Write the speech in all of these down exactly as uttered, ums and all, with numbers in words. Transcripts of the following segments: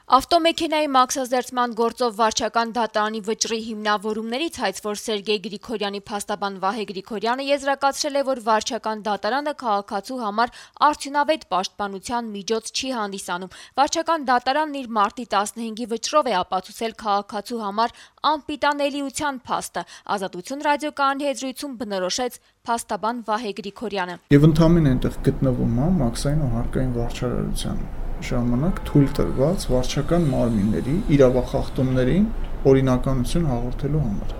Ավտոմեքենայի մաքսազերծման գործով վարչական դատարանի վճռի հիմնավորումներից հայց, որ Սերգեյ Գրիգորյանի փաստաբան Վահե Գրիգորյանը եզրակացրել է, որ վարչական դատարանը քաղաքացու համար արդյունավետ պաշտպանության միջոց չի հանդիսանում։ Վարչական դատարանն իր մարտի տասնհինգի վճռով է ապացուցել քաղաքացու համար անպիտանելիության փաստը։ Ազատություն ռադիոկայանի հետ զրույցում բնորոշեց փաստաբան Վահե Գրիգորյանը։ Եվ ընդհանրապես այնտեղ գտնվում է մաքսային ու հարկային վարչարարության ժամանակ թույլ տրված վարչական մարմինների իրավախախտումներին օրինականություն հաղորդելու համար։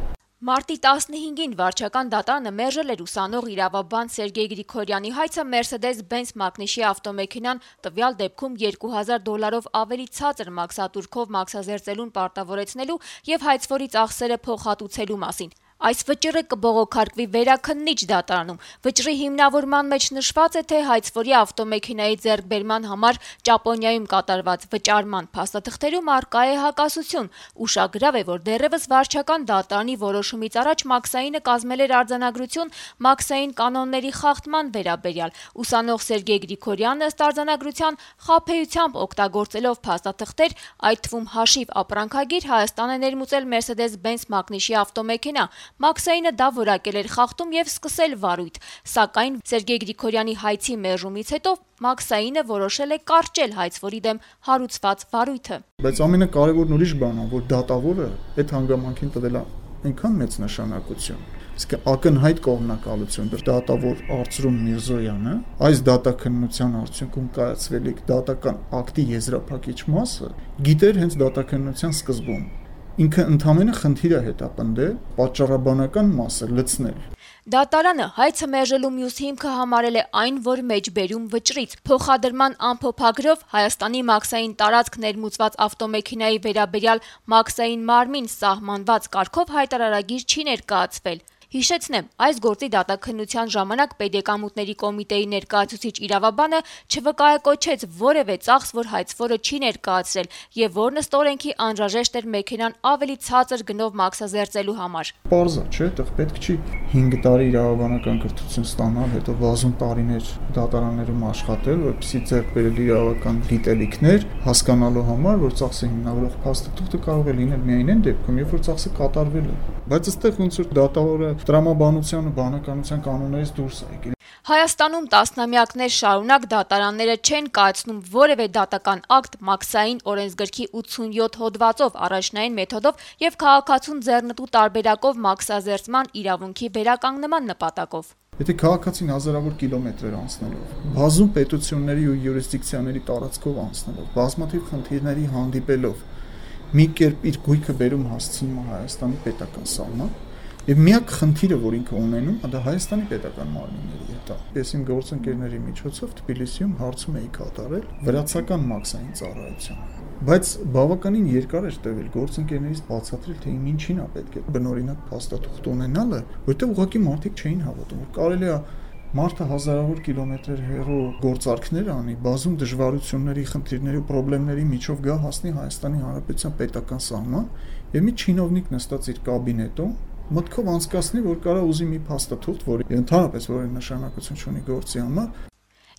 Մարտի տասնհինգին վարչական դատարանը մերժել էր ուսանող իրավաբան Սերգեյ Գրիգորյանի հայցը Mercedes-Benz մակնիշի ավտոմեքենան տվյալ դեպքում երկու հազար դոլարով ավելի ցածր մաքսատուրքով մաքսազերծելուն պարտավորեցնելու եւ հայցվորի ծախսերը փոխհատուցելու մասին։ Այս վճիռը կբողոքարկվի վերաքննիչ դատարանում։ Վճռի հիմնավորման մեջ նշված է, թե հայցվորի ավտոմեքենայի ձեռքբերման համար Ճապոնիայում կատարված վճարման փաստաթղթերում առկա է հակասություն։ Ուշագրավ է, որ դեռևս վարչական դատարանի որոշումից առաջ մաքսայինը կազմել էր արձանագրություն մաքսային կանոնների խախտման վերաբերյալ։ Ուսանող Սերգեյ Գրիգորյանը ըստ արձանագրության խաբեությամբ օգտագործելով փաստաթղթեր, այդ թվում հաշիվ ապրանքագիր, Հայաստան է ներմուծել Mercedes-Benz մակնիշի ավտոմեքենա։ Մաքսայինը դա որակել էր խախտում եւ սկսել վարույթ, սակայն Սերգեյ Գրիգորյանի հայցի մերժումից հետո մաքսայինը որոշել է կարճել հայցվորի դեմ հարուցված վարույթը։ Բայց ամենակարևորն ուրիշ բանն է, որ դատավորը այդ հանգամանքին տվել է այնքան մեծ նշանակություն, իսկ ակնհայտ կողմնակալություն դատավոր Արծրուն Միրզոյանը այս դատաքննության արդյունքում կայացվելիք դատական ակտի եզրափակիչ մասը գիտեր հենց դատաքննության սկզբում։ Ինքը ընդհանրապես խնդիր է հետապնդել պատճառաբանական մասը լցնել։ Դատարանը հայցը մերժելու մյուս հիմքը համարել է այն, որ մեջբերում վճռից փոխադրման ամփոփագրով Հայաստանի մաքսային տարածք ներմուծված ավտոմեքենայի վերաբերյալ մաքսային մարմին սահմանված կարգով հայտարարագիր չի ներկայացվել։ Հիշեցնեմ, այս գործի դատաքննության ժամանակ Պետեկամուտների կոմիտեի ներկայացուցիչ իրավաբանը չվկայակոչեց որևէ ծախս, որ հայցվորը չի ներկայացրել եւ որն ըստ օրենքի անհրաժեշտ էր մեքենան ավելի ցածր գնով մաքսազերծելու համար։ Պարզ է, չէ՞, այդտեղ պետք չի հինգ տարի իրավաբանական կրթություն ստանալ, հետո բազում տարիներ դատարաններում աշխատել, որպեսզի ձեռք բերել իրավական գիտելիքներ, հասկանալու համար, որ ծախսը հիմնավորող փաստաթուղթը կարող է լինել միայն այն դեպքում, երբ որ ծախսը կատարվել է։ Բայց այստեղ ոնց որ դատավորը տրամաբանության ու բանականության կանոններից դուրս է եկել։ Հայաստանում տասնամյակներ շարունակ դատարանները չեն կայացնում որևէ դատական ակտ մաքսային օրենսգրքի ութսունյոթ հոդվածով առաջնային մեթոդով եւ քաղաքացուն ձեռնտու տարբերակով մաքսազերծման իրավունքի վերականգնման նպատակով։ Եթե քաղաքացին հազարավոր կիլոմետրեր անցնելով, բազում պետությունների ու յուրիսդիկցիաների տարածքով անցնելով, բազմաթիվ խնդիրների հանդիպելով, մի կերպ իր գույքը բերում հասցնում է Հայաստանի պետական սահման, եւ միակ խնդիրը, որ ինքը ունենում, դա Հայաստանի պետական մարմինների հետ է։ Ես իմ գործընկերների միջոցով Թբիլիսիում հարցում էի կատարել վրացական մաքսային ծառայության։ Բայց բավականին երկար էր տևել գործընկերներից բացատրել, թե իմ ինչին է պետք է բնօրինակ փաստաթուղթ ունենալը, որտեղ ուղղակի մարդիկ չէին հավատում, որ կարելի է մարդը հազարավոր կիլոմետրեր հեռու գործարքներ անի, բազում դժվարությունների, խնդիրների ու խնդիրների միջով գա հասնի Հայաստանի Հանրապետության պետական սահման եւ մի չինովնիկ նստած իր կաբինետում մտքով անցկացնի, որ կարա ուզի մի փաստաթուղթ, որի ընդհանրապես որի նշանակություն չունի գործի համար։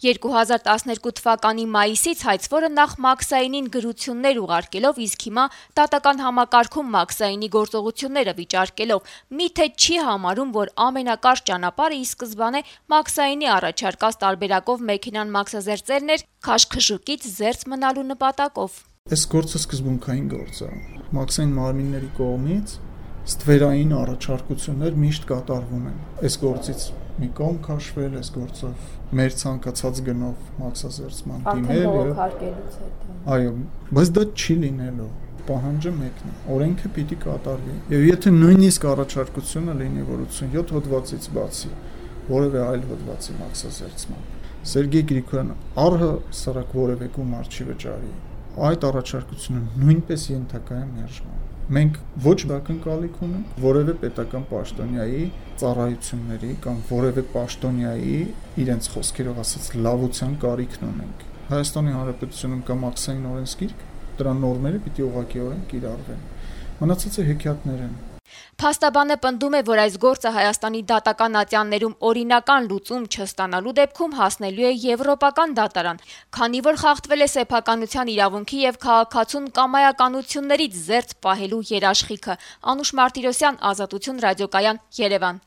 երկու հազար տասներկու թվականի մայիսից հայցվորը նախ մաքսայինին գրություններ ուղարկելով, իսկ հիմա դատական համակարգում մաքսայինի գործողությունները վիճարկելով, միթե չի համարում, որ ամենակարճ ճանապարհը ի սկզբանե մաքսայինի առաջարկած տարբերակով մեքենան մաքսազերծելն էր քաշքշուկից զերծ մնալու նպատակով։ Այս գործը սկզբունքային գործ է։ Մաքսային մարմինների կողմից ստվերային առաջարկություններ միշտ կատարվում են։ Այս գործից մի կողմ քաշվել, այս գործով մեր ցանկացած գնով մաքսազերծման դիմել եւ այո, բայց դա չի լինելու։ Պահանջը մեկն է։ Օրենքը պիտի կատարվի։ Եվ եթե նույնիսկ առաջարկությունը լինի, որ ութսունյոթ հոդվածից բացի որևէ այլ հոդվածի մաքսազերծման, Սերգեյ Գրիգորյանը առհասարակ որևէ գումար չի վճարի, այդ առաջարկությունը նույնպես ենթակա է մերժման։ Մենք ոչ ակնկալիք ունենք որևէ պետական պաշտոնյայի ծառայությունների կամ որևէ պաշտոնյայի իրենց խոսքերով ասած լավության կարիքն ունենք։ Հայաստանի Հանրապետությունում կա մաքսային օրենսգիրք, դրա նորմերը պիտի ուղղակիորեն կիրառվեն։ Մնացածը հեքիաթներ են։ Փաստաբանը պնդում է, որ այս գործը Հայաստանի դատական ատյաններում օրինական լուծում չստանալու դեպքում հասնելու է եվրոպական դատարան, քանի որ խախտվել է սեփականության իրավունքի եւ քաղաքացուն կամայականություններից զերծ պահելու երաշխիքը։ Անուշ Մարտիրոսյան, Ազատություն ռադիոկայան, Երևան։